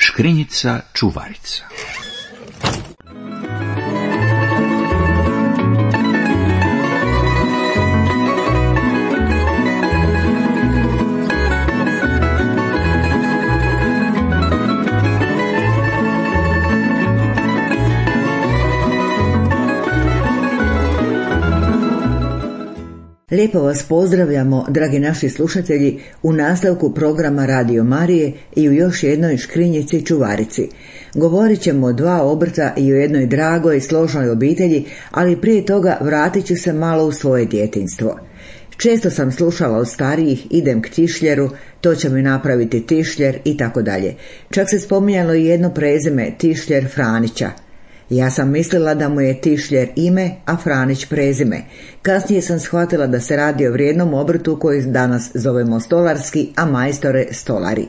Škrinjica čuvarica. Lijepo vas pozdravljamo, dragi naši slušatelji, u nastavku programa Radio Marije i u još jednoj škrinjici čuvarici. Govorit ćemo o dva obrta i o jednoj dragoj, složnoj obitelji, ali prije toga vratit ću se malo u svoje djetinjstvo. Često sam slušala od starijih, idem k tišljeru, to će mi napraviti tišljer i tako dalje. Čak se spominjalo i jedno prezime, tišljer Franića. Ja sam mislila da mu je tišljer ime, a Franić prezime. Kasnije sam shvatila da se radi o vrijednom obrtu koji danas zovemo stolarski, a majstore stolari.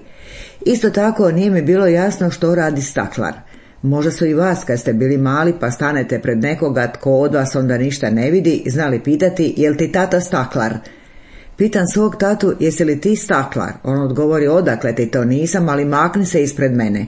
Isto tako nije mi bilo jasno što radi staklar. Možda su i vas kad ste bili mali pa stanete pred nekoga tko od vas onda ništa ne vidi, znali pitati jel ti tata staklar? Pitam svog tatu jesi li ti staklar? On odgovori odakle ti to nisam, ali makni se ispred mene.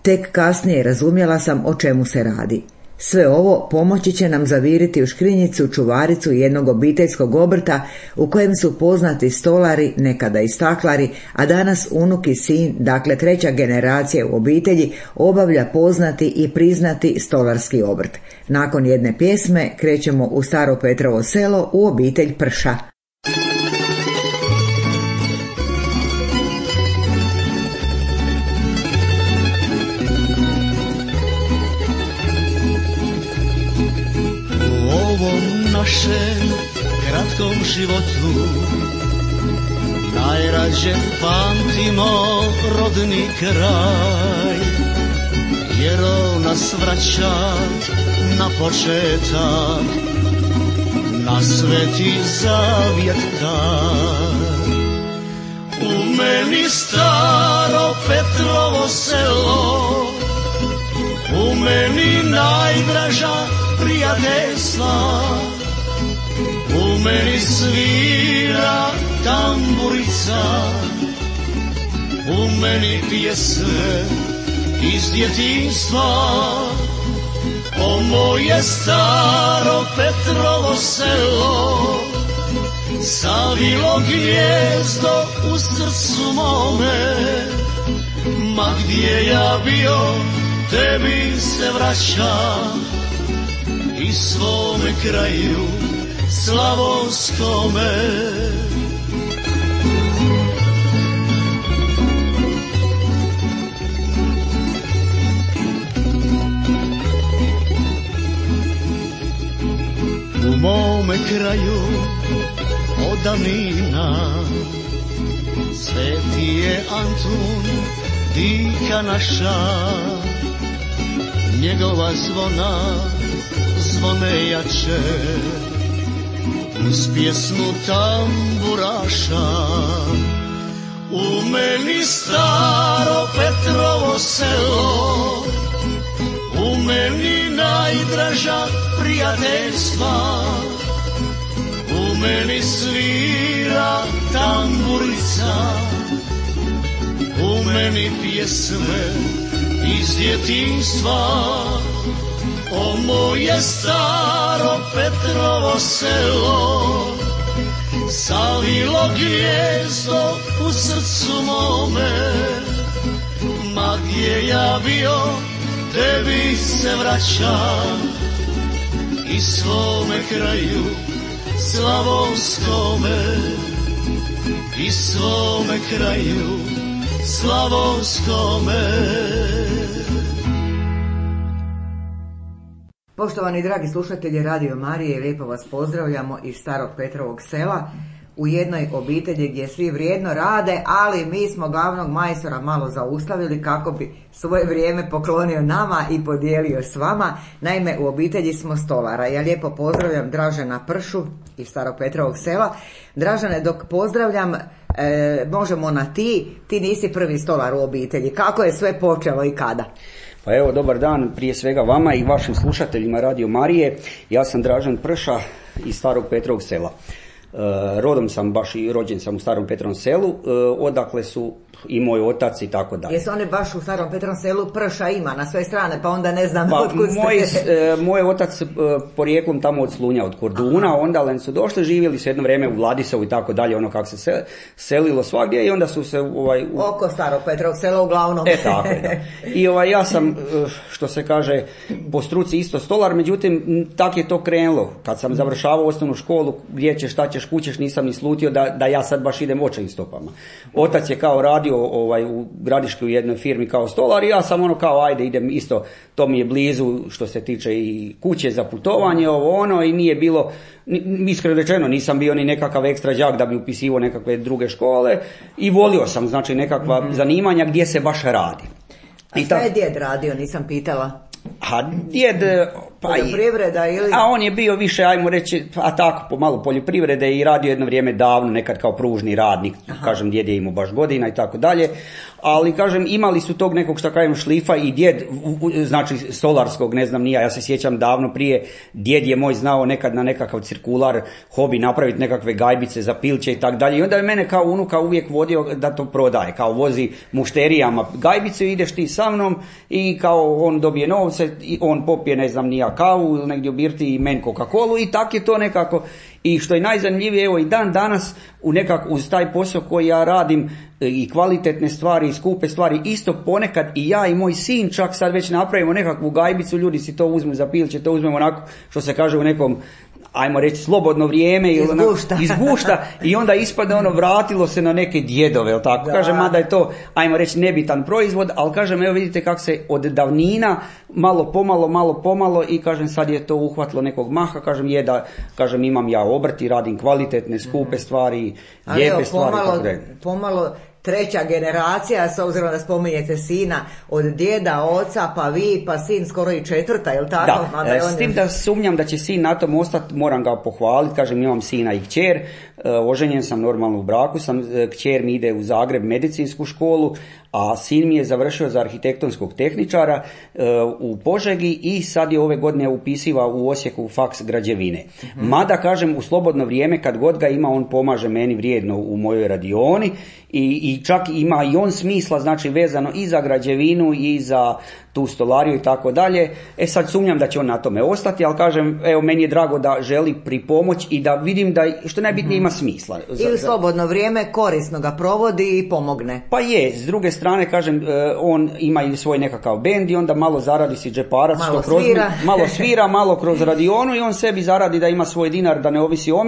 Tek kasnije razumjela sam o čemu se radi. Sve ovo pomoći će nam zaviriti u škrinjicu čuvaricu jednog obiteljskog obrta u kojem su poznati stolari, nekada i staklari, a danas unuk i sin, dakle treća generacija u obitelji, obavlja poznati i priznati stolarski obrt. Nakon jedne pjesme krećemo u Staro Petrovo selo u obitelj Prša. Našem kratkom životu najrađe pamtimo rodni kraj, jer on nas vraća na početak, na sveti zavjet taj. U meni Staro Petrovo selo, u meni najdraža prijateljstva, u meni svira tamburica, u meni pjesme iz djetinjstva. O moje Staro Petrovo selo, savilo gnijezdo u srcu mome, ma gdje ja bio, tebi se vraćam i svome kraju slavonskome. U mome kraju od davnina sveti je Antun, dika naša, njegova zvona zvone jače uz pjesmu tamburaša. U meni Staro Petrovo selo, u meni najdraža prijateljstva, u meni svira tamburica, u meni pjesme iz djetinjstva. O moje Staro Petrovo selo, savilo gnijezdo u srcu mome, ma gdje ja bio, tebi se vraćam i svome kraju slavonskome, i svome kraju slavonskome. Poštovani dragi slušatelji Radio Marije, lijepo vas pozdravljamo iz Starog Petrovog sela u jednoj obitelji gdje svi vrijedno rade, ali mi smo glavnog majstora malo zaustavili kako bi svoje vrijeme poklonio nama i podijelio s vama. Naime, u obitelji smo stolara. Ja lijepo pozdravljam Dražena Pršu iz Starog Petrovog sela. Dražene, dok pozdravljam, možemo na ti nisi prvi stolar u obitelji. Kako je sve počelo i kada? Pa evo, dobar dan prije svega vama i vašim slušateljima Radio Marije. Ja sam Dražen Prša iz Starog Petrovog sela. Rodom sam baš i rođen sam u Starom Petrovom selu, odakle su i moj otac i tako dalje. Jesu oni baš u Starom Petrovom Selu, prša ima na sve strane, pa onda ne znam otkud ste? Moj otac porijeklom tamo od Slunja, od Korduna, onda su došli, živjeli su jedno vrijeme u Vladisovu i tako dalje, ono kako se selilo svagdje i onda su se oko Starog Petrovog Sela uglavnom. Tako je, da. I ja sam, što se kaže, po struci isto stolar, međutim, tak je to krenulo. Kad sam završavao osnovnu školu, gdje ćeš, šta ćeš, kućeš, nisam ni slutio da ja sad baš idem očevim stopama. Otac je kao radio u Gradiški u jednoj firmi kao stolar i ja sam kao ajde idem isto, to mi je blizu što se tiče i kuće za putovanje, i nije bilo, iskreno rečeno, nisam bio ni nekakav ekstra đak da bi upisivao nekakve druge škole i volio sam, znači, nekakva zanimanja gdje se baš radi. A šta je djed radio, nisam pitala? A djed... poljoprivreda ili... A on je bio više, ajmo reći, tako, pomalo poljoprivrede i radio jedno vrijeme davno, nekad kao pružni radnik, kažem, djed je imao baš godina i tako dalje, ali kažem, imali su tog nekog, šta kažem, šlifa i djed, znači stolarskog, ne znam nija, ja se sjećam davno prije, djed je moj znao nekad na nekakav cirkular hobi napraviti nekakve gajbice za pilće i tako dalje i onda je mene kao unuka uvijek vodio da to prodaje, kao vozi mušterijama gajbice, ideš ti sa mnom i kao on dobije novce i on popije, ne znam nija, kavu ili negdje u birti i meni Coca-Colu i tak je to nekako. I što je najzanimljivije, evo i dan danas uz taj posao koji ja radim i kvalitetne stvari i skupe stvari, isto ponekad i ja i moj sin čak sad već napravimo nekakvu gajbicu, ljudi si to uzmu za pilće, to uzmemo onako što se kaže u nekom, ajmo reći, slobodno vrijeme ili izgušta i onda ispada vratilo se na neke djedove, jel tako? Kažem, mada je to, ajmo reći, nebitan proizvod, ali kažem, evo vidite kako se od davnina malo pomalo i kažem, sad je to uhvatilo nekog maha, kažem, imam ja obrt i radim kvalitetne, skupe stvari, lijepe stvari. Pomalo treća generacija, s obzirom da spominjete sina, od djeda, oca, pa vi, pa sin skoro i četvrta, je li tako? Da, s tim da sumnjam da će sin na tom ostati, moram ga pohvaliti, kažem, imam sina i kćer, oženjen sam, normalno u braku sam, kćer mi ide u Zagreb medicinsku školu, a sin mi je završio za arhitektonskog tehničara u Požegi i sad je ove godine upisiva u Osijeku faks građevine. Mada, kažem, u slobodno vrijeme kad god ga ima, on pomaže meni vrijedno u mojoj radioni i čak ima i on smisla, znači vezano i za građevinu i za tu stolariju i tako dalje. Sad sumnjam da će on na tome ostati, ali kažem, evo, meni je drago da želi pripomoć i da vidim da, što najbitnije, ima smisla. I u slobodno vrijeme korisno ga provodi i pomogne. Pa je, s druge strane, kažem, on ima i svoj nekakav bend i onda malo zaradi si džeparac, malo svira, malo kroz radionu i on sebi zaradi da ima svoj dinar, da ne ovisi o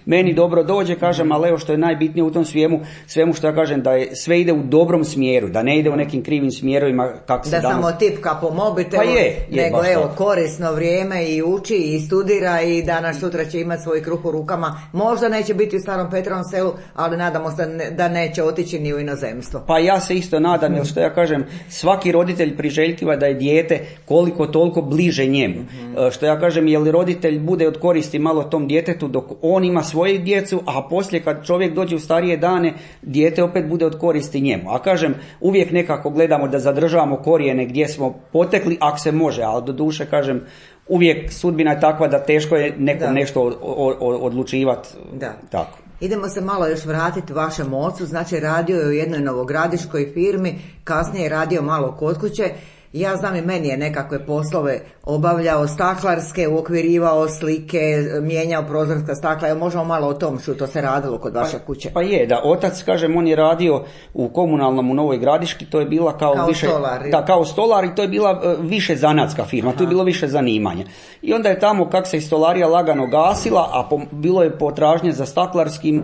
meni dobro dođe, kažem, ali evo što je najbitnije u tom svemu što ja kažem, da je sve ide u dobrom smjeru, da ne ide u nekim krivim smjerovima kako se danas... Samo tipka po mobitelu, nego evo, korisno vrijeme i uči i studira i danas sutra će imati svoj kruh u rukama. Možda neće biti u Starom Petrovom Selu, ali nadamo se da neće otići ni u inozemstvo. Pa ja se isto nadam, jer što ja kažem, svaki roditelj priželjkiva da je dijete koliko toliko bliže njemu. Što ja kažem, jer roditelj bude od koristi malo tom djetetu dok on ima svoju djecu, a poslije kad čovjek dođe u starije dane, dijete opet bude od koristi njemu. A kažem, uvijek nekako gledamo da zadržavamo korijene gdje smo potekli, ako se može, ali do duše, kažem, uvijek sudbina je takva da teško je nekom nešto odlučivati. Tako. Idemo se malo još vratiti vašem ocu, znači radio je u jednoj novogradiškoj firmi, kasnije je radio malo kod kuće. Ja znam, i meni je nekakve poslove obavljao, staklarske, uokvirivao slike, mijenjao prozorska stakla. Evo, možemo malo o tom što se radilo kod vaše kuće. Pa je, da, otac, kažem, on je radio u komunalnom u Novoj Gradiški, to je bila kao više... stolar. Da, kao stolar i to je bila više zanatska firma, tu je bilo više zanimanja. I onda je tamo, kak se i stolarija lagano gasila, a bilo je potražnje za staklarskim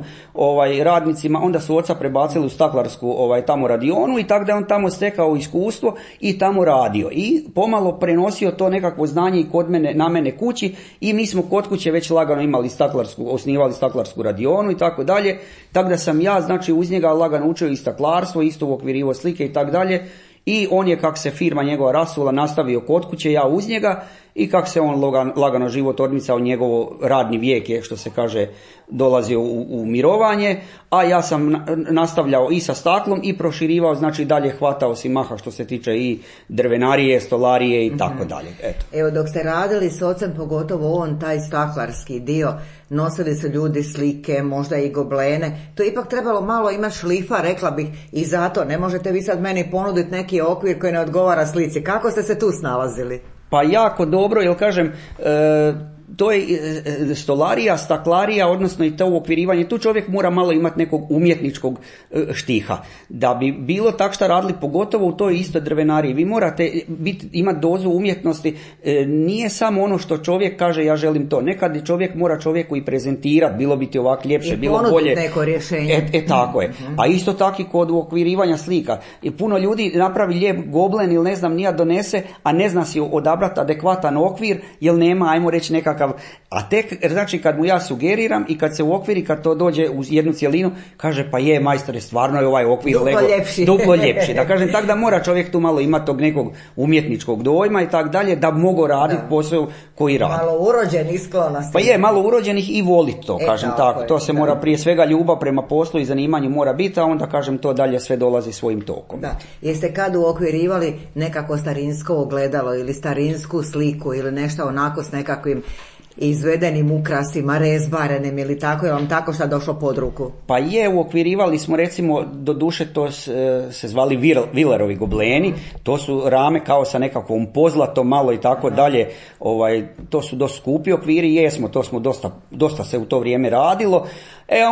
radnicima, onda su oca prebacili u staklarsku tamo radionu i tako da je on tamo stekao iskustvo i tamo radio. I pomalo prenosio to nekakvo znanje i kod mene, na mene kući i mi smo kod kuće već lagano imali osnivali staklarsku radionu i tako dalje. Tako da sam ja, znači, uz njega lagano učio i staklarstvo, isto uokvirivo slike i tako dalje. I on je, kak se firma njegova rasula, nastavio kod kuće, ja uz njega. i kako se on lagano život odmicao, njegovo radni vijek je, što se kaže, dolazio u mirovanje, a ja sam nastavljao i sa staklom i proširivao, znači dalje hvatao si maha što se tiče i drvenarije, stolarije i tako dalje. Evo, dok ste radili s ocem, pogotovo on taj staklarski dio, nosili su ljudi slike, možda i goblene, to je ipak trebalo malo imati šlifa, rekla bih, i zato ne možete vi sad meni ponuditi neki okvir koji ne odgovara slici. Kako ste se tu snalazili? Pa jako dobro, jer kažem, to je stolarija, staklarija, odnosno i to uokvirivanje, tu čovjek mora malo imati nekog umjetničkog štiha. Da bi bilo tak šta radili, pogotovo u toj istoj drvenariji, vi morate imati dozu umjetnosti, nije samo ono što čovjek kaže ja želim to, nekad čovjek mora čovjeku i prezentirati, bilo bi ti ovako ljepše, bilo bolje. I neko rješenje. Tako je. A isto tako i kod uokvirivanja slika. I puno ljudi napravi lijep goblen ili ne znam nija donese, a ne zna si odabrati adekvatan okvir, jer nema, ajmo reći, nekakav. A tek, znači kad mu ja sugeriram i kad se uokviri, kad to dođe u jednu cjelinu, kaže pa je majstore, stvarno je ovaj okvir duplo ljepši. Da kažem, tako da mora čovjek tu malo imati tog nekog umjetničkog dojma i tako dalje, da mogu raditi posao koji radi. Malo urođenih sklonosti. Pa je, malo urođenih i voliti to, kažem tako. To se mora, prije svega ljubav prema poslu i zanimanju mora biti, a onda kažem to dalje sve dolazi svojim tokom. Da. Jeste kad uokvirivali nekako starinsko ogledalo ili starinsku sliku ili nešto onako s nekakvim izvedenim ukrasima, rezbarenim ili tako, je vam tako šta došlo pod ruku? Pa je, uokvirivali smo, recimo, do duše to se zvali Vilerovi gobleni, to su rame kao sa nekakvom pozlatom malo i tako dalje, to su dosta skupi okviri, jesmo, to smo dosta se u to vrijeme radilo.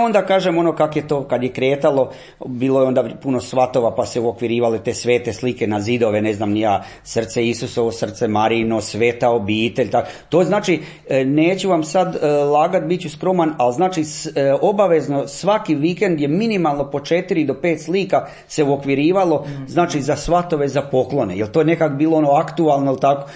Onda kažem, ono kak je to, kad je kretalo, bilo je onda puno svatova, pa se uokvirivale te svete slike na zidove, ne znam ni ja, srce Isusovo, srce Marijino, sveta obitelj, tako. To znači, neću vam sad lagat, bit ću skroman, ali znači obavezno svaki vikend je minimalno po 4 do 5 slika se uokvirivalo, znači za svatove, za poklone, jer to je nekak bilo ono aktualno, tako,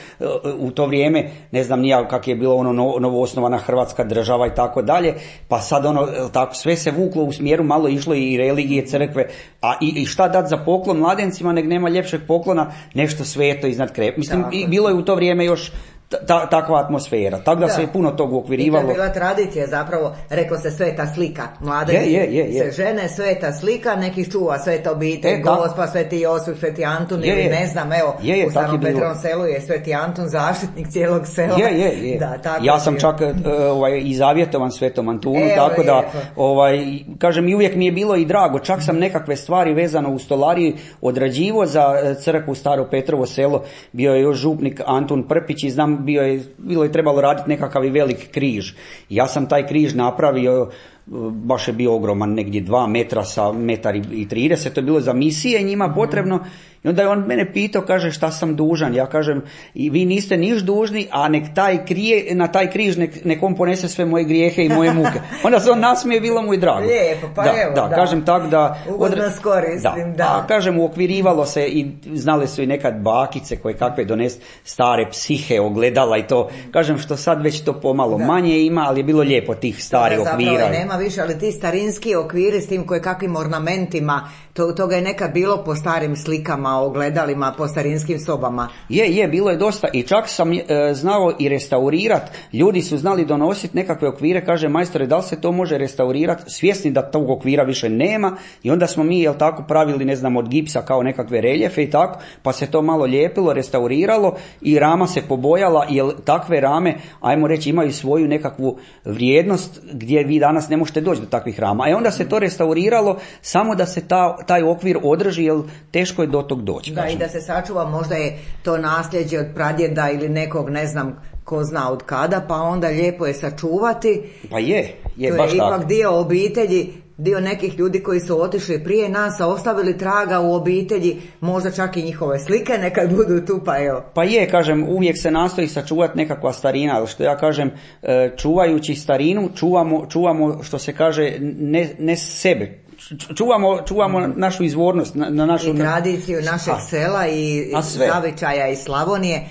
u to vrijeme, ne znam ni ja kak je bilo ono novoosnovana Hrvatska država i tako dalje, pa sad ono, tako, sve se vuklo u smjeru, malo išlo i religije, crkve, a i šta dati za poklon mladencima, nek nema ljepšeg poklona, nešto sveto iznad krep. Mislim, i bilo je u to vrijeme još takva atmosfera, tako da se je puno tog uokvirivalo. I to je bila tradicija, zapravo, reklo se sveta slika, mladenci se žene, sveta slika, neki čuva sveta obitelj, Gospa, sveti Josip, sveti Antun, ili ne znam, evo, u Starom Petrovom selu je sveti Antun zaštitnik cijelog sela. Da, tako ja sam čak i zavjetovan svetom Antunu, tako da, kažem, i uvijek mi je bilo i drago, čak sam nekakve stvari vezano u stolariji odrađivo za crkvu Staro Petrovo selo, bio je još župnik Antun Prpić i znam, bilo je trebalo raditi nekakav i velik križ. Ja sam taj križ napravio, baš je bio ogroman, negdje 2 metra sa 1,30 m, to je bilo za misije njima potrebno. I onda je on mene pitao, kaže, šta sam dužan? Ja kažem, vi niste niš dužni, a nek na taj križ nek on ponese sve moje grijehe i moje muke. Onda se on nasmije, bilo mu i drago. Lijepo, pa evo, kažem tak da... Ugodno skoristim, da. A kažem, uokvirivalo se i znale su i nekad bakice koje kakve donesti stare psihe, ogledala i to. Kažem, što sad već to pomalo manje ima, ali je bilo lijepo tih starih okvira. Zapravo nema više, ali ti starinski okviri s tim kakvim ornamentima, toga je nekad bilo po starim slikama, ogledalima, po starinskim sobama. Bilo je dosta i čak sam znao i restaurirati. Ljudi su znali donositi nekakve okvire, kaže, majstore, da li se to može restaurirati, svjesni da tog okvira više nema, i onda smo mi, tako, pravili, ne znam, od gipsa kao nekakve reljefe i tako, pa se to malo lijepilo, restauriralo i rama se pobojala, jer takve rame, ajmo reći, imaju svoju nekakvu vrijednost gdje vi danas ne možete doći do takvih rama. A onda se to restauriralo samo da se taj okvir održi, jer teško je do tog doći. Da, i da se sačuva, možda je to nasljeđe od pradjeda ili nekog, ne znam, ko zna od kada, pa onda lijepo je sačuvati. Pa je baš tako. To je ipak dio obitelji, dio nekih ljudi koji su otišli prije nas, a ostavili traga u obitelji, možda čak i njihove slike nekad budu tu, pa evo. Pa kažem, uvijek se nastoji sačuvati nekakva starina, ali što ja kažem, čuvajući starinu, čuvamo što se kaže, ne sebe. Čuvamo našu izvornost, na našu... I tradiciju našeg sela i zavičaja iz Slavonije.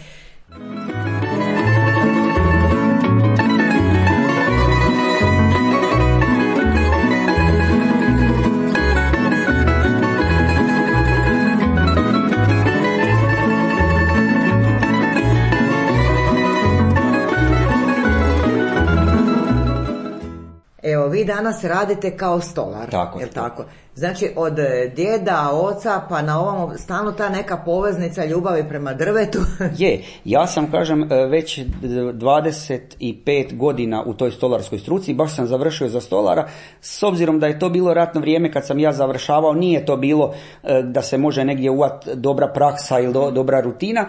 danas radite kao stolar, tako, jel tako? Znači od djeda, oca pa na ovom stalno ta neka poveznica ljubavi prema drvetu. Je, ja sam kažem već 25 godina u toj stolarskoj struci, baš sam završio za stolara, s obzirom da je to bilo ratno vrijeme kad sam ja završavao, nije to bilo da se može negdje uvat dobra praksa ili dobra rutina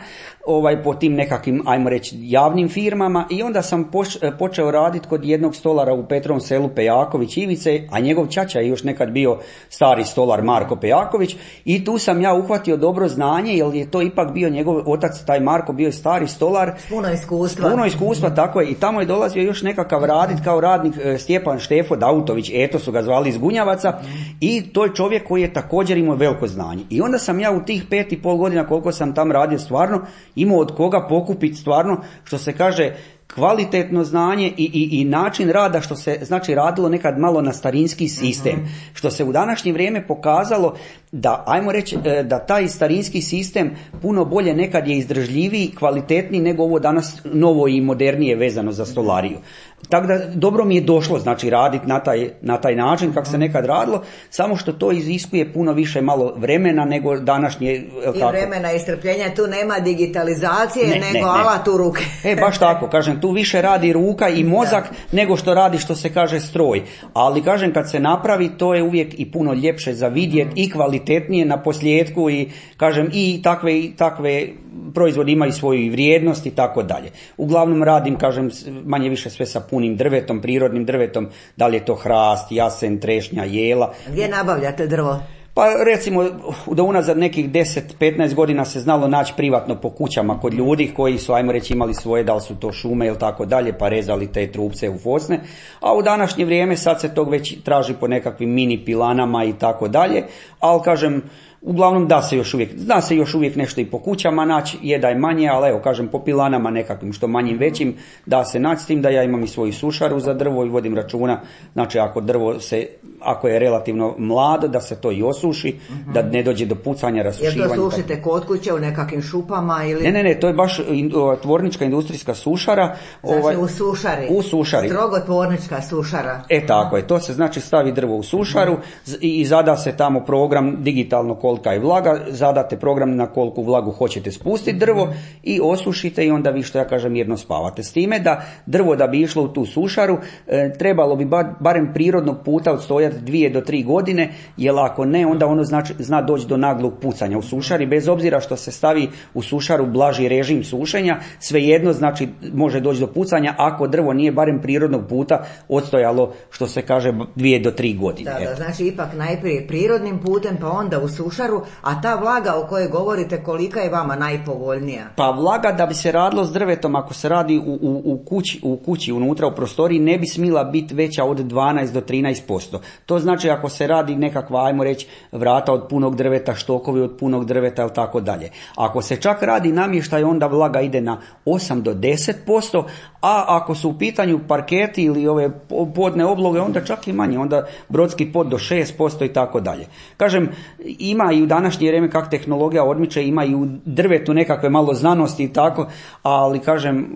po tim nekakvim, ajmo reći, javnim firmama, i onda sam počeo raditi kod jednog stolara u Petrovom Selu, Pejaković Ivice, a njegov ćaća je još nekad bio stari stolar Marko Pejaković, i tu sam ja uhvatio dobro znanje, jer je to ipak bio njegov otac, taj Marko bio stari stolar. Puno iskustva, tako je, i tamo je dolazio još nekakav radit kao radnik Stjepan Štefo Dautović, eto su ga zvali iz Gunjavaca, i to je čovjek koji je također imao veliko znanje. I onda sam ja u tih 5,5 godina koliko sam tam radio stvarno imao od koga pokupiti stvarno, što se kaže, kvalitetno znanje i način rada, što se znači radilo nekad malo na starinski sistem, što se u današnje vrijeme pokazalo da, ajmo reći, da taj starinski sistem puno bolje nekad je izdržljiviji, kvalitetniji nego ovo danas novo i modernije vezano za stolariju. Tako da dobro mi je došlo znači raditi na taj način kako se nekad radilo, samo što to iziskuje puno više malo vremena nego današnje. I vremena i strpljenja, tu nema digitalizacije nego alat u ruke. Baš tako, kažem, tu više radi ruka i mozak nego što radi, što se kaže, stroj. Ali kažem, kad se napravi, to je uvijek i puno ljepše za vidjet i kvalitetnije na posljedku, i kažem, i takve proizvodi imaju svoju vrijednost i tako dalje. Uglavnom radim, kažem, manje više sve sa punim drvetom, prirodnim drvetom, da li je to hrast, jasen, trešnja, jela. Gdje nabavljate drvo? Pa recimo da unazad nekih 10-15 godina se znalo naći privatno po kućama kod ljudi koji su, ajmo reći, imali svoje, da li su to šume ili tako dalje, pa rezali te trupce u fosne, a u današnje vrijeme sad se tog već traži po nekakvim mini pilanama i tako dalje, ali kažem, uglavnom zna se još uvijek nešto i po kućama naći, je da je manje, ali evo kažem, po pilanama nekakvim što manjim većim da se naći, s tim da ja imam i svoju sušaru za drvo i vodim računa, znači ako je relativno mlado, da se to i osuši, da ne dođe do pucanja, rasušivanja. Jer to sušite kod kuće u nekakvim šupama ili? Ne, to je baš tvornička industrijska sušara. Znači u sušari. Strogo tvornička sušara. Tako je, to se znači stavi drvo u sušaru i zada se tamo program digitalno kolika je vlaga, zadate program na koliku vlagu hoćete spustiti drvo i osušite, i onda vi, što ja kažem, mirno spavate. S time da drvo, da bi išlo u tu sušaru, trebalo bi barem prirodnog puta odstojati 2 do 3 godine, jer ako ne, onda ono zna doći do naglog pucanja u sušari, bez obzira što se stavi u sušaru blaži režim sušenja, svejedno znači može doći do pucanja ako drvo nije barem prirodnog puta odstojalo, što se kaže, 2 do 3 godine. Da, znači ipak najprije prirodnim putem, pa onda u sušaru, a ta vlaga o kojoj govorite, kolika je vama najpovoljnija? Pa vlaga, da bi se radilo s drvetom, ako se radi u kući unutra u prostoriji, ne bi smila biti veća od 12 do 13%. To znači ako se radi nekakva, ajmo reći, vrata od punog drveta, štokovi od punog drveta ili tako dalje. Ako se čak radi namještaj, onda vlaga ide na 8 do 10%, a ako su u pitanju parketi ili ove podne obloge, onda čak i manje, onda brodski pod do 6% i tako dalje. Kažem, ima i u današnje vrijeme, kak tehnologija odmiče, ima i u drvetu nekakve malo znanosti i tako, ali kažem,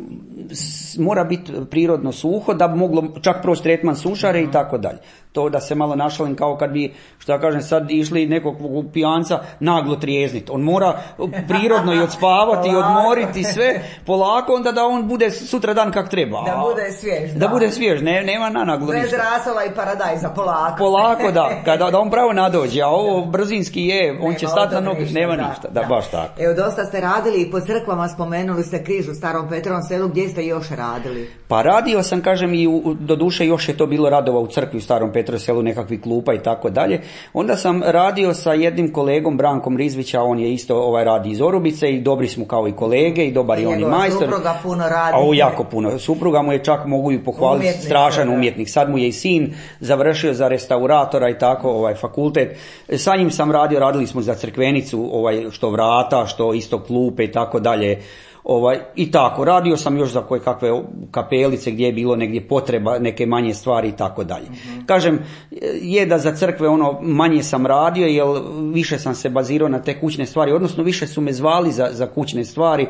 mora biti prirodno suho da bi moglo čak proći tretman sušare i tako dalje. To da se malo našalim, kao kad bi, što ja kažem, sad išli nekog pijanca naglo trijezniti. On mora prirodno i odspavati i odmoriti sve polako, onda da on bude sutra dan kak treba. Da bude svjež. Da bude svjež, nema nanaglo ništa. Bez rasova i paradajza, polako. Polako, da on pravo nadođe, a ovo brzinski on će stati na noge, nema ništa. Da, baš tako. Evo, dosta ste radili i po crkvama, spomenuli ste križ u Starom Petrovom Selu, gdje ste još radili? Pa radio sam, kažem, i do duše još je to bilo radova u crkvi u Starom Petrovom Selu, nekakvi klupa i tako dalje. Onda sam radio sa jednim kolegom, Brankom Rizvića, on je isto radi iz Orubice i dobri smo kao i kolege i dobar je on i majstor. Supruga puno radi. Jako puno. Supruga mu je, čak mogu ju pohvaliti, strašan umjetnik. Sad mu je i sin završio za restauratora i tako fakultet. Sa njim sam radili smo za crkvenicu, što vrata, što isto klupe i tako dalje. I tako, radio sam još za koje kakve kapelice gdje je bilo negdje potreba, neke manje stvari i tako dalje. Kažem, je da za crkve manje sam radio, jer više sam se bazirao na te kućne stvari, odnosno više su me zvali za kućne stvari,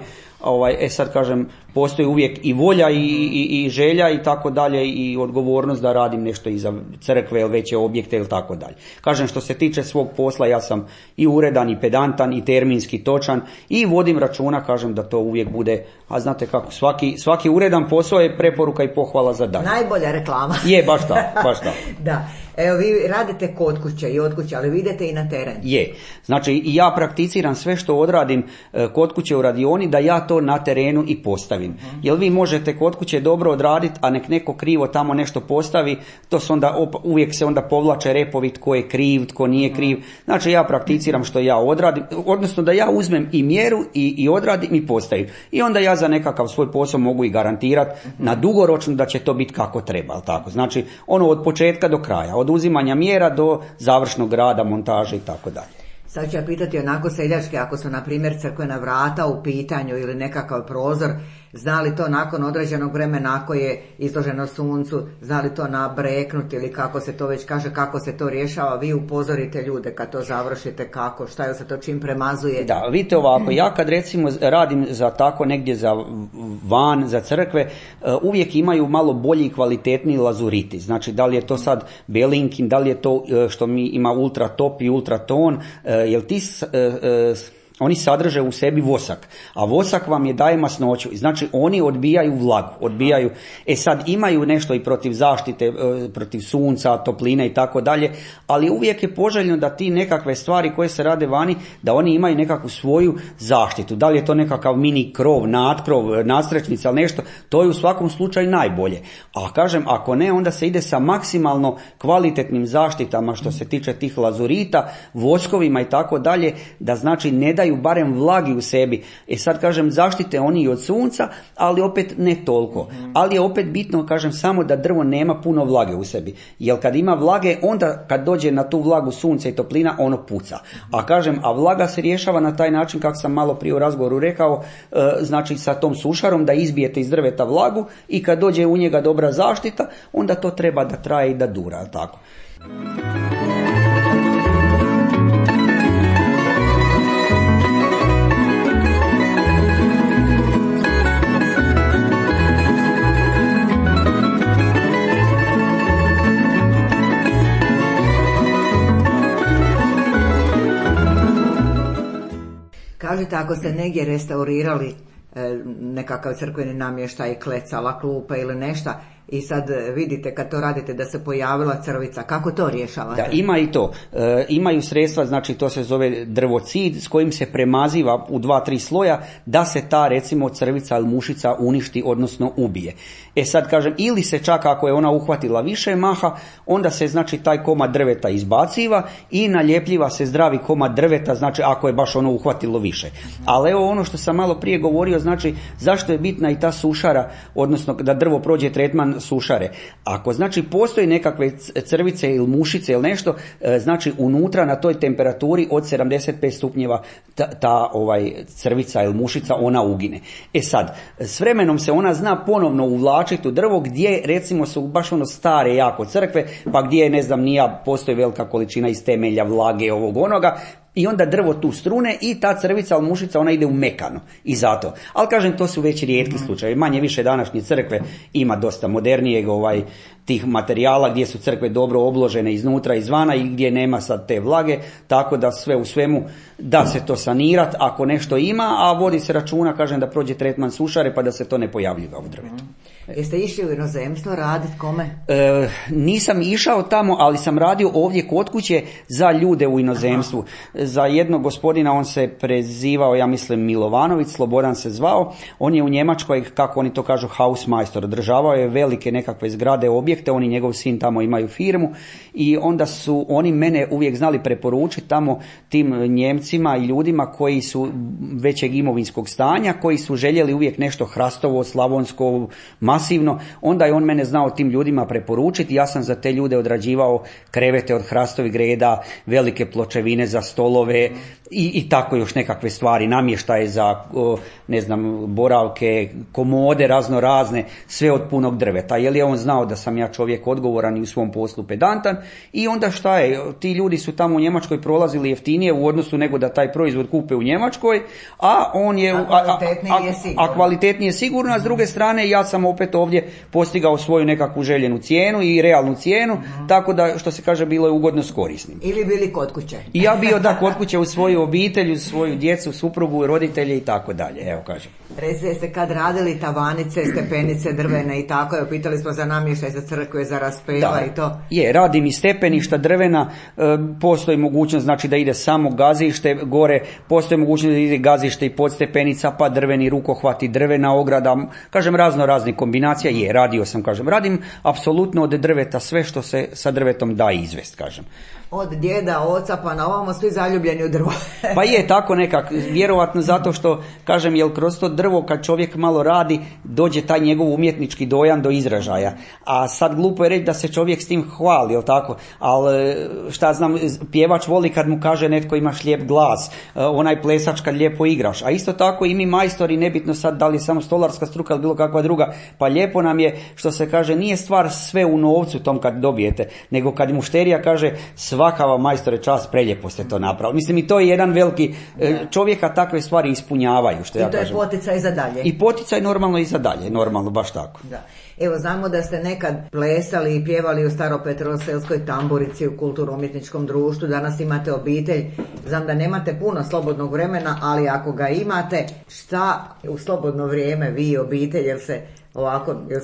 Sad kažem, postoji uvijek i volja i želja i tako dalje i odgovornost da radim nešto i za crkve ili veće objekte ili tako dalje. Kažem, što se tiče svog posla, ja sam i uredan i pedantan i terminski točan i vodim računa, kažem, da to uvijek bude, a znate kako, svaki uredan posao je preporuka i pohvala za dalje. Najbolja reklama. Je, baš tako. Da. Evo, vi radite kod kuće i od kuće, ali vi idete i na teren. Je. Znači, i ja prakticiram sve što odradim kod kuće u radioni, da ja to na terenu i postavim. Jer vi možete kod kuće dobro odraditi, a nek neko krivo tamo nešto postavi, to se onda, uvijek se onda povlače repovi tko je kriv, tko nije kriv. Znači, ja prakticiram što ja odradim, odnosno da ja uzmem i mjeru i odradim i postavim. I onda ja za nekakav svoj posao mogu i garantirati na dugoročno da će to biti kako treba. Tako? Znači, od početka do kraja. Od uzimanja mjera do završnog rada, montaže i tako dalje. Sad ću ja pitati onako seljačke, ako su na primjer crkvena vrata u pitanju ili nekakav prozor, zna li to nakon određenog vremena ako je izloženo suncu, zna li to nabreknuti ili kako se to već kaže, kako se to rješava, vi upozorite ljude kad to završite, kako, šta je se to čim premazuje? Da, vidite ovako, ja kad recimo radim za tako negdje za van, za crkve, uvijek imaju malo bolji i kvalitetniji lazuriti. Znači, da li je to sad belinkin, da li je to što mi ima ultra top i ultra ton, jel ti oni sadrže u sebi vosak, a vosak vam daje masnoću. Znači, oni odbijaju vlagu, odbijaju. Sad imaju nešto i protiv zaštite, protiv sunca, topline i tako dalje, ali uvijek je poželjno da ti nekakve stvari koje se rade vani, da oni imaju nekakvu svoju zaštitu. Da li je to nekakav mini krov, nadkrov, nadstrečnica ili nešto, to je u svakom slučaju najbolje. A kažem, ako ne, onda se ide sa maksimalno kvalitetnim zaštitama što se tiče tih lazurita, voskovima i tako dalje, da znači ne daju barem vlagi u sebi. Sad kažem, zaštite oni i od sunca, ali opet ne toliko. Ali je opet bitno, kažem, samo da drvo nema puno vlage u sebi. Jer kad ima vlage, onda kad dođe na tu vlagu sunca i toplina, ono puca. A kažem, a vlaga se rješava na taj način, kako sam malo prije u razgovoru rekao, znači sa tom sušarom da izbijete iz drveta vlagu i kad dođe u njega dobra zaštita, onda to treba da traje i da dura, tako. Kažete, ako ste negdje restaurirali nekakav crkveni namještaj, klecala, klupe ili nešto, i sad vidite kad to radite da se pojavila crvica, kako to rješavate? Da, ima i to. Imaju sredstva, znači to se zove drvocid s kojim se premaziva u 2-3 sloja da se ta recimo crvica ili mušica uništi, odnosno ubije. Sad kažem, ili se čak ako je ona uhvatila više maha, onda se znači taj komad drveta izbaciva i naljepljiva se zdravi komad drveta, znači ako je baš ono uhvatilo više. Ali evo ono što sam malo prije govorio, znači zašto je bitna i ta sušara, odnosno da drvo prođe tretman sušare. Ako znači postoji nekakve crvice ili mušice ili nešto, znači unutra na toj temperaturi od 75 stupnjeva ta crvica ili mušica ona ugine. Sad, s vremenom se ona zna ponovno uvlačiti u drvo gdje recimo su baš stare jako crkve, pa gdje ne znam nija postoji velika količina iz temelja, vlage, ovog onoga, i onda drvo tu strune i ta crvica ili mušica ona ide u mekano i zato. Ali kažem, to su već rijetki slučajevi. Manje više današnje crkve ima dosta modernijeg tih materijala gdje su crkve dobro obložene iznutra i izvana i gdje nema sad te vlage, tako da sve u svemu da se to sanirati ako nešto ima, a vodi se računa, kažem, da prođe tretman sušare pa da se to ne pojavljiva u drvetu. Jeste išli u inozemstvo raditi, kome? Nisam išao tamo, ali sam radio ovdje kod kuće za ljude u inozemstvu. Aha. Za jednog gospodina, on se prezivao, ja mislim Milovanović, Slobodan se zvao, on je u Njemačkoj, kako oni to kažu, Hausmeister, održavao je velike nekakve zgrade, objekte, on i njegov sin tamo imaju firmu i onda su oni mene uvijek znali preporučiti tamo tim Njemcima i ljudima koji su većeg imovinskog stanja, koji su željeli uvijek nešto hrastovo, slavonsko, masivno, onda je on mene znao tim ljudima preporučiti. Ja sam za te ljude odrađivao krevete od hrastovih greda, velike pločevine za stolove i tako još nekakve stvari, namještaje za, ne znam, boravke, komode razno razne, sve od punog drveta. Jer je on znao da sam ja čovjek odgovoran i u svom poslu pedantan i onda šta je, ti ljudi su tamo u Njemačkoj prolazili jeftinije u odnosu nego da taj proizvod kupe u Njemačkoj, a on je a kvalitetnije sigurno, a s druge strane ja sam opet ovdje postigao svoju nekakvu željenu cijenu i realnu cijenu, tako da što se kaže bilo je ugodno s korisnim. Ili bili kod kuće. I ja bio da kod kuće u svoju obitelj, u svoju djecu, suprugu, roditelje i tako dalje, evo kažem. Recite, ste kad radili tavanice, stepenice, drvene i tako, evo pitali smo za namještaj, za crkve, za raspeva i to. Je, radim i stepeništa drvena, postoji mogućnost znači da ide samo gazište gore, postoji mogućnost da ide gazište i podstepenica, pa drveni rukohvati, drvena ograda, kažem razno raznih kombinacija, radio sam, kažem, radim apsolutno od drveta sve što se sa drvetom da izvest, kažem. Od djeda, oca pa na ovamo svi zaljubljeni u drvo. Pa je tako nekak, vjerovatno zato što, kažem, jel kroz to drvo kad čovjek malo radi, dođe taj njegov umjetnički dojam do izražaja. A sad glupo je reći da se čovjek s tim hvali, jel tako? Ali šta znam, pjevač voli kad mu kaže netko imaš lijep glas, onaj plesač kad lijepo igraš. A isto tako i mi majstori, nebitno sad da li je samo stolarska struka ili bilo kakva druga, pa lijepo nam je, što se kaže, nije stvar sve u novcu tom kad dobijete, nego kad mušterija kaže svaka vam majstore čast, preljepo ste to napravili. Mislim i to je jedan veliki, čovjeka takve stvari ispunjavaju, što ja kažem. I to je poticaj za dalje. I poticaj normalno i za dalje, normalno, baš tako. Da. Evo, znamo da ste nekad plesali i pjevali u Staropetroselskoj tamburici u kulturno-umjetničkom društvu, danas imate obitelj, znam da nemate puno slobodnog vremena, ali ako ga imate, šta u slobodno vrijeme vi i obitelj, jel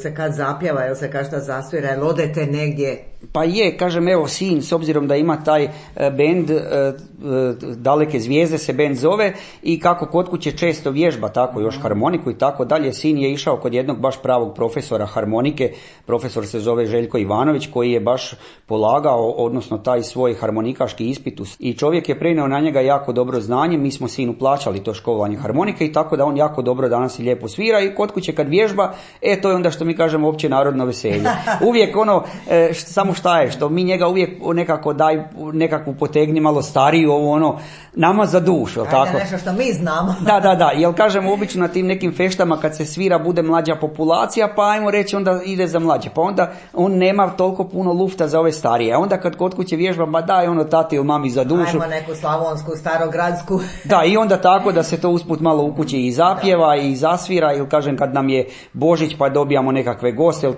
se kad zapjeva, jel se kad šta zasvira, jel odete negdje? Pa je, kažem, evo sin, s obzirom da ima taj bend, Daleke zvijezde se bend zove, i kako kod kuće često vježba tako još harmoniku i tako dalje, sin je išao kod jednog baš pravog profesora harmonike, profesor se zove Željko Ivanović, koji je baš polagao, odnosno taj svoj harmonikaški ispit, i čovjek je prenio na njega jako dobro znanje, mi smo sinu plaćali to školovanje harmonike i tako da on jako dobro danas i lijepo svira, i kod kuće kad vježba, to je onda što mi kažemo opće narodno veselje. Uvijek samo šta je, što mi njega uvijek nekako nekakvu potegni malo stariju, nama za dušu, ajde, tako? Nešto što mi znamo. Da, jer kažemo obično na tim nekim feštama kad se svira bude mlađa populacija, pa ajmo reći onda ide za mlađe, pa onda on nema toliko puno lufta za ove starije, a onda kad kod kuće vježba, ba daj tati ili mami za dušu. Ajmo neku slavonsku, starogradsku. Da, i onda tako da se to usput malo u kući i zapjeva i zasvira, ili kažem kad nam je Božić pa dobijamo nekakve goste,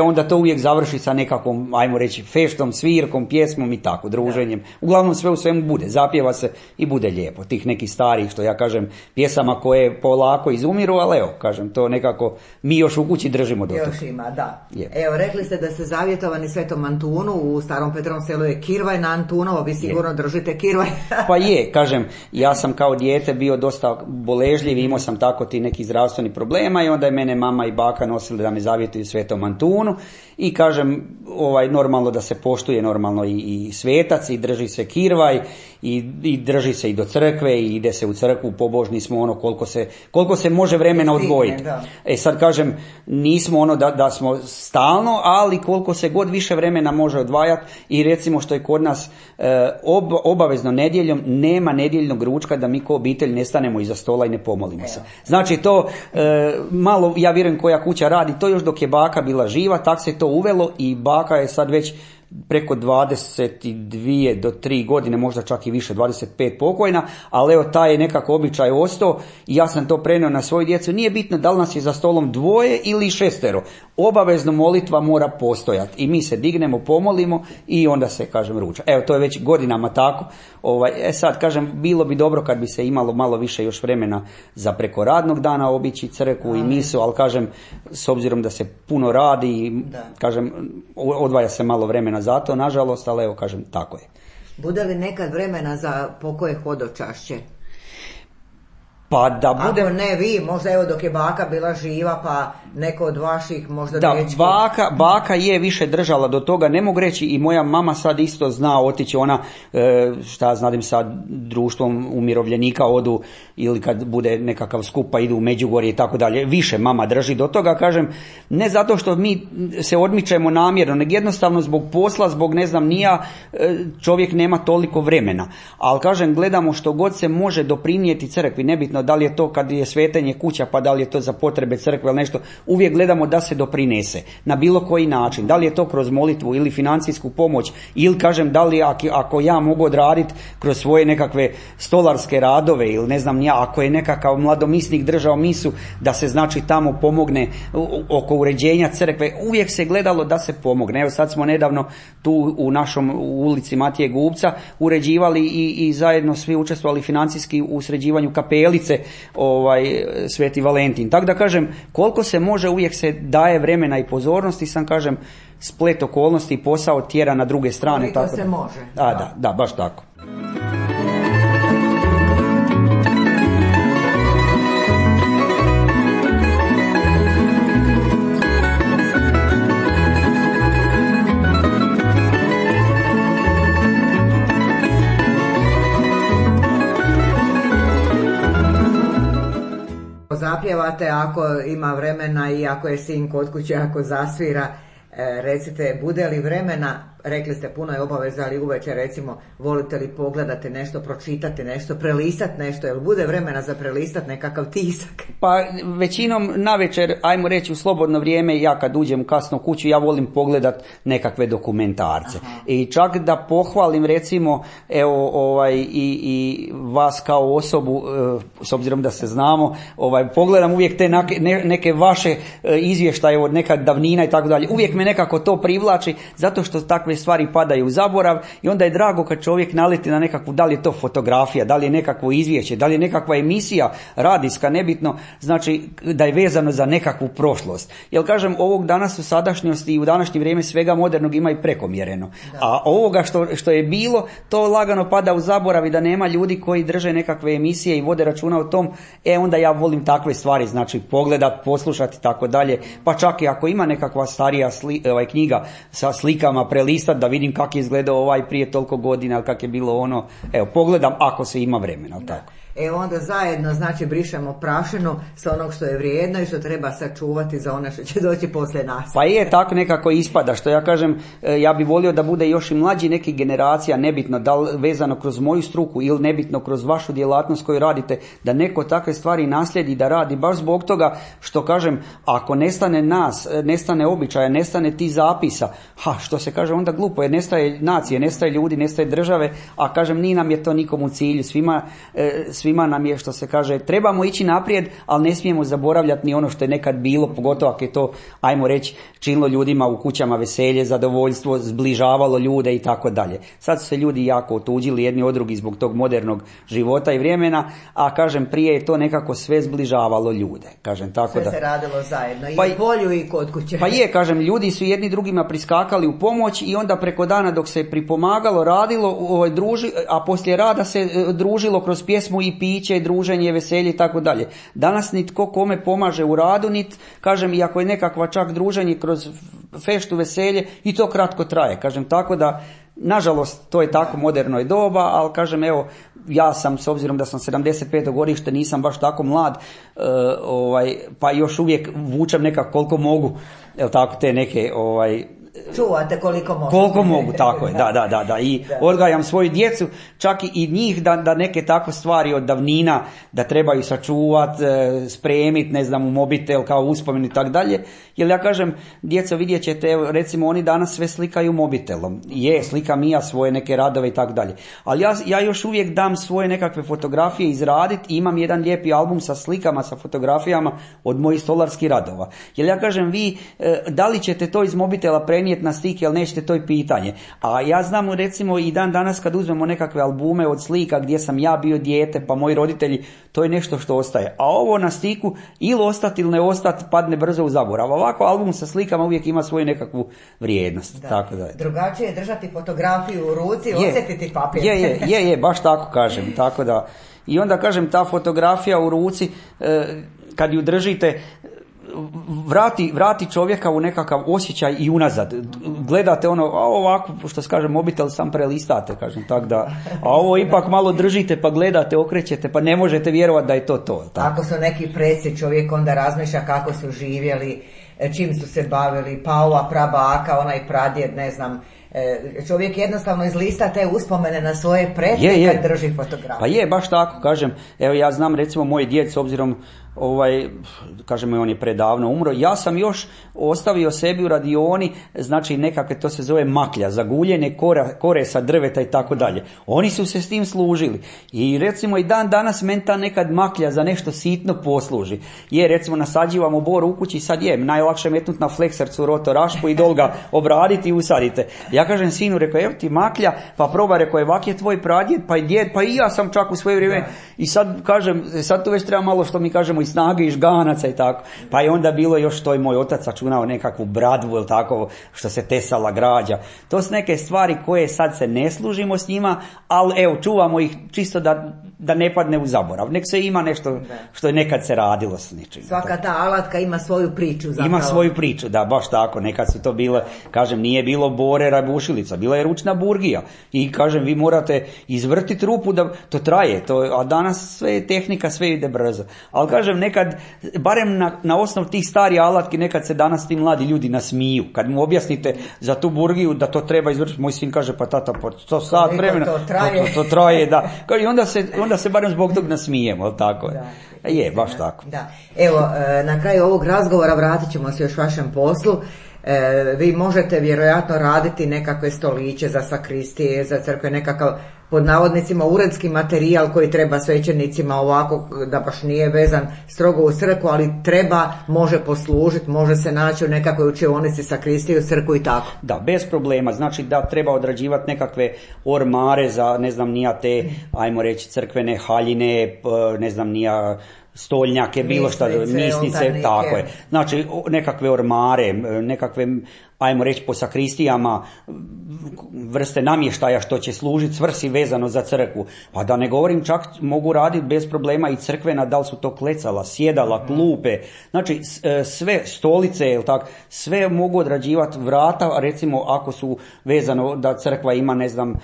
onda to uvijek završi sa nekakvom, ajmo reći, feštom, svirkom, pjesmom i tako, druženjem. Uglavnom sve u svemu bude, zapjeva se i bude lijepo. Tih nekih starih, što ja kažem, pjesama koje polako izumiru, ali evo, kažem, to nekako mi još u kući držimo do toga. Još ima, da. Je. Evo, rekli ste da ste zavjetovani Svetom Antunu, u Starom Petrovom selu je kirvaj na Antunovo, vi sigurno držite kirvaj. Pa je, kažem, ja sam kao dijete bio dosta boležljiv, imao sam tako ti neki zdravstveni problema i onda je mene mama i baka nosili da me zavjetuju Svetom Antunu i kažem, normalno da se poštuje normalno i svetac i drži se kirvaj i drži se i do crkve i ide se u crkvu, pobožni smo koliko se može vremena odvojiti. Sad kažem, nismo da smo stalno, ali koliko se god više vremena može odvajati, i recimo što je kod nas obavezno nedjeljom, nema nedjeljnog ručka da mi ko obitelj ne stanemo iza stola i ne pomolimo se. Znači to malo, ja vjerujem koja kuća radi, to još dok je baka bila živa, tak se to uvelo i baka je sad već preko 22 do 3 godine, možda čak i više, 25 pokojna, ali evo taj je nekako običaj ostao i ja sam to prenio na svoju djecu. Nije bitno da li nas je za stolom 2 ili 6, obavezno molitva mora postojati i mi se dignemo, pomolimo i onda se, kažem, ruča. Evo, to je već godinama tako. Sad, kažem, bilo bi dobro kad bi se imalo malo više još vremena za preko radnog dana obići crkvu i misu, ali kažem, s obzirom da se puno radi i kažem, odvaja se malo vremena za to, nažalost, ali evo, kažem, tako je. Bude li nekad vremena za pokoje hodočašće? Pa da bude... Ako ne vi, možda evo dok je baka bila živa, pa neko od vaših možda dečki. Da, baka je više držala do toga, ne mogu reći, i moja mama sad isto zna otići, ona, šta znadim sad, društvom umirovljenika odu, ili kad bude nekakav skup pa idu u Međugorje i tako dalje, više mama drži do toga, kažem, ne zato što mi se odmičemo namjerno, nego jednostavno zbog posla, zbog ne znam nija, čovjek nema toliko vremena, ali kažem, gledamo što god se može doprinijeti crkvi, nebitno da li je to kad je svetenje kuća, pa da li je to za potrebe crkve ili nešto, uvijek gledamo da se doprinese na bilo koji način, da li je to kroz molitvu ili financijsku pomoć, ili kažem da li ako ja mogu odraditi kroz svoje nekakve stolarske radove ili ne znam ja, ako je nekakav mladomisnik držao misu, da se znači tamo pomogne oko uređenja crkve, uvijek se gledalo da se pomogne. Evo sad smo nedavno tu u našom ulici Matije Gubca uređivali i zajedno svi učestvovali financijski u sređivanju kapelice Sveti Valentin. Tako da kažem, koliko se može, uvijek se daje vremena i pozornosti, sam kažem, splet okolnosti i posao tjera na druge strane. Koliko se može. Da, baš tako. Zapjevate ako ima vremena i ako je sin kod kuće, ako zasvira, recite, bude li vremena, rekli ste puno je obaveza, ali uvečer recimo volite li pogledati nešto, pročitati nešto, prelistati nešto, jel bude vremena za prelistati nekakav tisak? Pa većinom navečer, ajmo reći u slobodno vrijeme, ja kad uđem kasno u kuću, ja volim pogledat nekakve dokumentarce. Aha. I čak da pohvalim recimo i vas kao osobu, s obzirom da se znamo, pogledam uvijek te neke vaše izvještaje od nekad davnina i tako dalje. Uvijek me nekako to privlači, zato što takve stvari padaju u zaborav i onda je drago kad čovjek naleti na nekakvu, da li je to fotografija, da li je nekakvo izvješće, da li je nekakva emisija radijska, nebitno, znači da je vezano za nekakvu prošlost. Jer kažem, ovog danas u sadašnjosti i u današnje vrijeme svega modernog ima i prekomjereno. Da. A ovoga što je bilo, to lagano pada u zaborav i da nema ljudi koji drže nekakve emisije i vode računa o tom, onda ja volim takve stvari, znači pogledat, poslušati i tako dalje, pa čak i ako ima nekakva starija knjiga sa slikama, prelistat da vidim kako je izgledao prije toliko godina, ili kako je bilo pogledam ako se ima vremena, tako. Onda zajedno, znači, brišemo prašinu sa onog što je vrijedno i što treba sačuvati za ono što će doći poslije nas. Pa je, tako nekako ispada, što ja kažem, ja bi volio da bude još i mlađi nekih generacija, nebitno da li vezano kroz moju struku ili nebitno kroz vašu djelatnost koju radite, da neko takve stvari naslijedi da radi, baš zbog toga što kažem, ako nestane nas, nestane običaja, nestane ti zapisa, što se kaže onda glupo, jer nestaje nacije, nestaje ljudi, nestaje države, a kažem, nije nam je to nikom u cilju, svima nam je, što se kaže, trebamo ići naprijed, ali ne smijemo zaboravljati ni ono što je nekad bilo, pogotovo ako je to, ajmo reći, činilo ljudima u kućama veselje, zadovoljstvo, zbližavalo ljude i tako dalje. Sad su se ljudi jako otuđili jedni od drugih zbog tog modernog života i vremena, a kažem, prije je to nekako sve zbližavalo ljude. Kažem, tako sve da se radilo zajedno, i u polju i kod kuće. Pa je, kažem, ljudi su jedni drugima priskakali u pomoć i onda preko dana dok se pripomagalo, radilo, a poslije rada se družilo kroz pjesmu i piće, druženje, veselje i tako dalje. Danas nitko kome pomaže u radu, kažem, i ako je nekakva čak druženje kroz feštu, veselje, i to kratko traje. Kažem, tako da, nažalost, to je tako moderno je doba, ali kažem, evo, ja sam, s obzirom da sam 75. godište, nisam baš tako mlad, pa još uvijek vučem nekako koliko mogu, tako, te neke, čuvate koliko mogu. Koliko mogu, tako je, da. I odgajam svoju djecu, čak i njih da neke tako stvari od davnina, da trebaju sačuvati, spremiti, ne znam, u mobitel kao uspomenu i tako dalje. Jer ja kažem, djeco, vidjet ćete, recimo, oni danas sve slikaju mobitelom. Slikam i ja svoje neke radove i tako dalje. Ali ja još uvijek dam svoje nekakve fotografije izraditi i imam jedan lijepi album sa slikama, sa fotografijama od mojih stolarskih radova. Jer ja kažem, vi, da li ćete to iz mobitela prenijeti na stik, jel nećete, to je pitanje. A ja znam, recimo, i dan danas kad uzmemo nekakve albume od slika gdje sam ja bio dijete, pa moji roditelji, to je nešto što ostaje. A ovo na stiku, ili ostati ili ne ostati, padne brzo u zaborav. Ovako album sa slikama uvijek ima svoju nekakvu vrijednost. Da. Tako da je. Drugačije je držati fotografiju u ruci, osjetiti papir. Je, baš tako kažem. Tako da, I onda kažem, ta fotografija u ruci, kad ju držite, vrati čovjeka u nekakav osjećaj i unazad. Gledate ono, a ovako, što se kaže, mobitel sam prelistate, kažem tak da, a ovo ipak malo držite pa gledate, okrećete, pa ne možete vjerovati da je to. Tako. Ako su neki preci, čovjek onda razmišlja kako su živjeli, čim su se bavili, pa ova prabaka, onaj pradjed, ne znam. Čovjek jednostavno izlista te uspomene na svoje pretke kad drži fotografiju. Pa je, baš tako, kažem, evo ja znam recimo moj djed, s obzirom, kažemo on je predavno umro, ja sam još ostavio sebi u radioni, znači nekakve, to se zove maklja, zaguljene kore sa drveta i tako dalje. Oni su se s tim služili i recimo i dan danas meni ta nekad maklja za nešto sitno posluži. Recimo nasađivamo bor u kući, sad najlakše metnuti na fleksercu rotorašku i dol ga obraditi i usadite. Ja kažem sinu, rekao, evo ti maklja, pa proba, rekao, evak je tvoj pradjed, pa i djed, pa i ja sam čak u svoje vrijeme. I sad kažem, sad tu već treba malo, što mi kažemo, i snage i žganaca i tako. Pa je onda bilo još to i moj otac sačunao nekakvu bradvu ili tako, što se tesala građa. To su neke stvari koje sad se ne služimo s njima, ali evo, čuvamo ih čisto da ne padne u zaborav. Nek se ima nešto što je nekad se radilo s ničim. Svaka ta alatka ima svoju priču zapravo. Ima svoju priču, da, baš tako. Nekad su to bile, kažem, nije bilo bore rabušilica, bila je ručna burgija. I kažem, vi morate izvrtiti rupu da to traje. A danas sve je tehnika, sve ide brzo. Ali kažem, nekad, barem na osnovu tih starih alatki, nekad se danas ti mladi ljudi nasmiju. Kad mu objasnite za tu burgiju da to treba izvršiti, moj sin kaže, pa tata, pa to sat vremena, to traje, da. I onda se barem zbog tog nasmijemo, ali tako je. Je, baš tako. Da. Evo, na kraju ovog razgovora vratit ćemo se još vašem poslu. Vi možete vjerojatno raditi nekakve stoliće za sakristije, za crkve, nekakav, pod navodnicima, uredski materijal koji treba svećenicima, ovako da baš nije vezan strogo u crkvu, ali može poslužiti, može se naći u nekakvoj učionici, sakristiju, crkvu i tako. Da, bez problema. Znači da treba odrađivati nekakve ormare za, ne znam, nija te, ajmo reći, crkvene haljine, ne znam, nija stoljnjake, bilo šta, misnice, tako je. Znači nekakve ormare, nekakve, ajmo reći, po sakristijama vrste namještaja što će služiti svrsi vezano za crkvu. A da ne govorim, čak mogu raditi bez problema i crkvena, da li su to klecala, sjedala, klupe, znači sve stolice, sve mogu odrađivati, vrata, recimo ako su vezano da crkva ima, ne znam,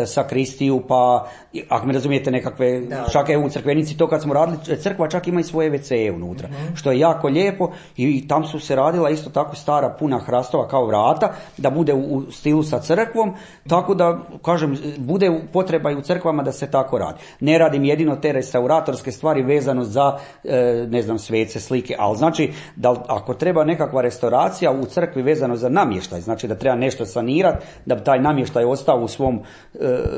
sakristiju, pa ako me razumijete, nekakve, čak u crkvenici, to kad smo radili, crkva čak ima i svoje WC unutra, što je jako lijepo i tam su se radila isto tako stara puna hrastova kao vrata, da bude u stilu sa crkvom, tako da, kažem, bude potreba i u crkvama da se tako radi. Ne radim jedino te restauratorske stvari vezano za, ne znam, svece, slike, ali znači da ako treba nekakva restauracija u crkvi vezano za namještaj, znači da treba nešto sanirati, da bi taj namještaj ostao u svom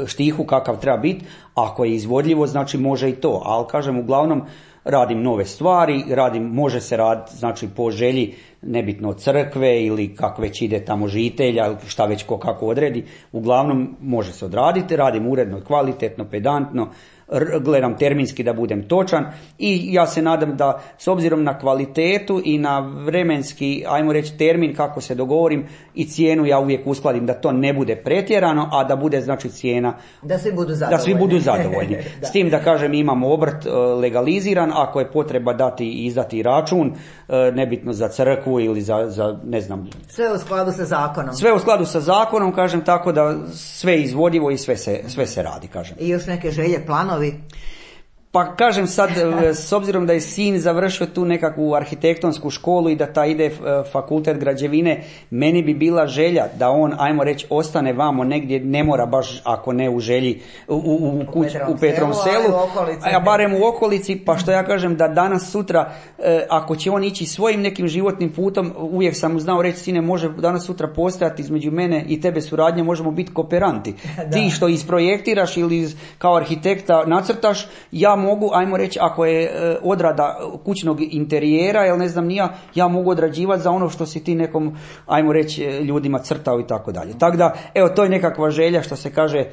štihu kakav treba biti, ako je izvodljivo, znači može i to, ali kažem, uglavnom radim nove stvari, može se raditi, znači po želji, nebitno od crkve ili kako već ide tamo žitelja, šta već ko kako odredi, uglavnom može se odraditi, radim uredno, kvalitetno, pedantno, gledam terminski da budem točan i ja se nadam da s obzirom na kvalitetu i na vremenski, ajmo reći, termin kako se dogovorim i cijenu ja uvijek uskladim da to ne bude pretjerano, a da bude, znači, cijena da svi budu zadovoljni. S tim da kažem, imamo obrt legaliziran, ako je potreba izdati račun, nebitno za crkvu ili za ne znam. Sve u skladu sa zakonom. Sve u skladu sa zakonom, kažem, tako da sve je izvodivo i sve se radi, kažem. I još neke želje, planovi? Pa kažem sad, s obzirom da je sin završio tu nekakvu arhitektonsku školu i da ta ide fakultet građevine, meni bi bila želja da on, ajmo reći, ostane vamo negdje, ne mora baš, ako ne u želji, u Petrovom selu, a barem u okolici, pa što ja kažem da danas sutra, ako će on ići svojim nekim životnim putom, uvijek sam znao reći, sine, može danas sutra postojati između mene i tebe suradnje, možemo biti kooperanti. Ti što isprojektiraš ili kao arhitekta nacrtaš, ja mogu, ajmo reći, ako je odrada kućnog interijera, jel ne znam ni ja mogu odrađivati za ono što si ti nekom, ajmo reći, ljudima crtao i tako dalje. Tako da, evo, to je nekakva želja, što se kaže,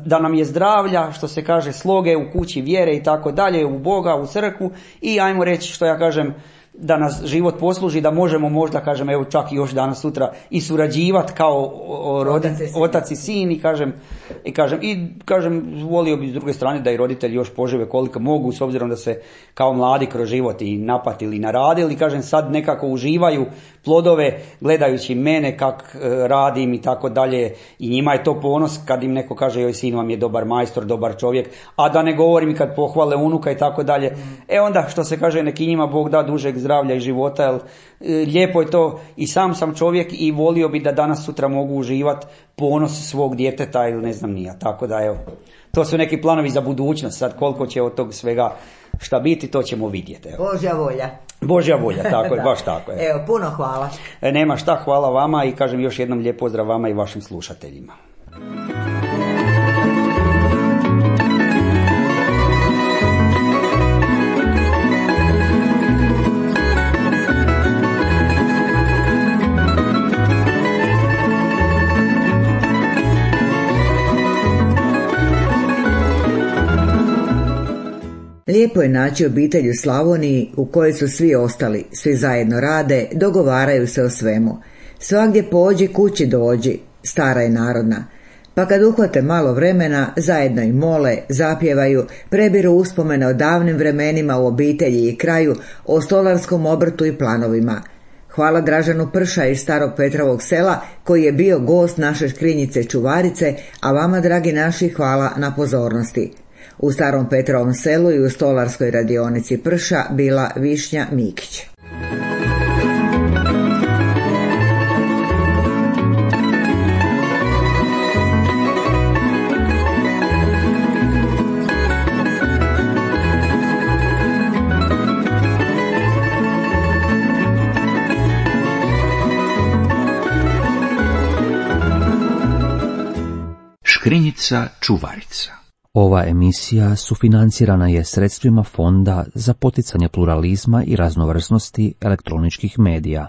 da nam je zdravlja, što se kaže, sloge u kući, vjere i tako dalje, u Boga, u crkvu i, ajmo reći, što ja kažem, da nas život posluži, da možemo možda, kažem, evo čak i još danas sutra i surađivati kao otac i sin i kažem, volio bi s druge strane da i roditelji još požive koliko mogu, s obzirom da se kao mladi kroz život i napatili i naradili, kažem, sad nekako uživaju plodove gledajući mene kak radim i tako dalje, i njima je to ponos kad im neko kaže joj, sin vam je dobar majstor, dobar čovjek, a da ne govorim i kad pohvale unuka i tako dalje. Onda što se kaže, neki njima Bog da dužeg zdravlja i života, jer lijepo je to, i sam čovjek i volio bi da danas sutra mogu uživati ponos svog djeteta ili ne znam nija, tako da evo, to su neki planovi za budućnost, sad koliko će od tog svega šta biti, to ćemo vidjeti. Evo. Božja volja, tako je, baš tako je. Evo, puno hvala. Nema šta, hvala vama i kažem još jednom lijep pozdrav vama i vašim slušateljima. Lijepo je naći obitelj u Slavoniji u kojoj su svi ostali, svi zajedno rade, dogovaraju se o svemu. Svagdje pođi, kući dođi, stara je narodna. Pa kad uhvate malo vremena, zajedno i mole, zapjevaju, prebiru uspomene o davnim vremenima u obitelji i kraju, o stolarskom obrtu i planovima. Hvala Dražanu Prša iz Starog Petrovog sela koji je bio gost naše škrinjice Čuvarice, a vama, dragi naši, hvala na pozornosti. U Starom Petrovom selu i u stolarskoj radionici Prša bila Višnja Mikić. Škrinjica Čuvarica. Ova emisija sufinancirana je sredstvima Fonda za poticanje pluralizma i raznovrsnosti elektroničkih medija.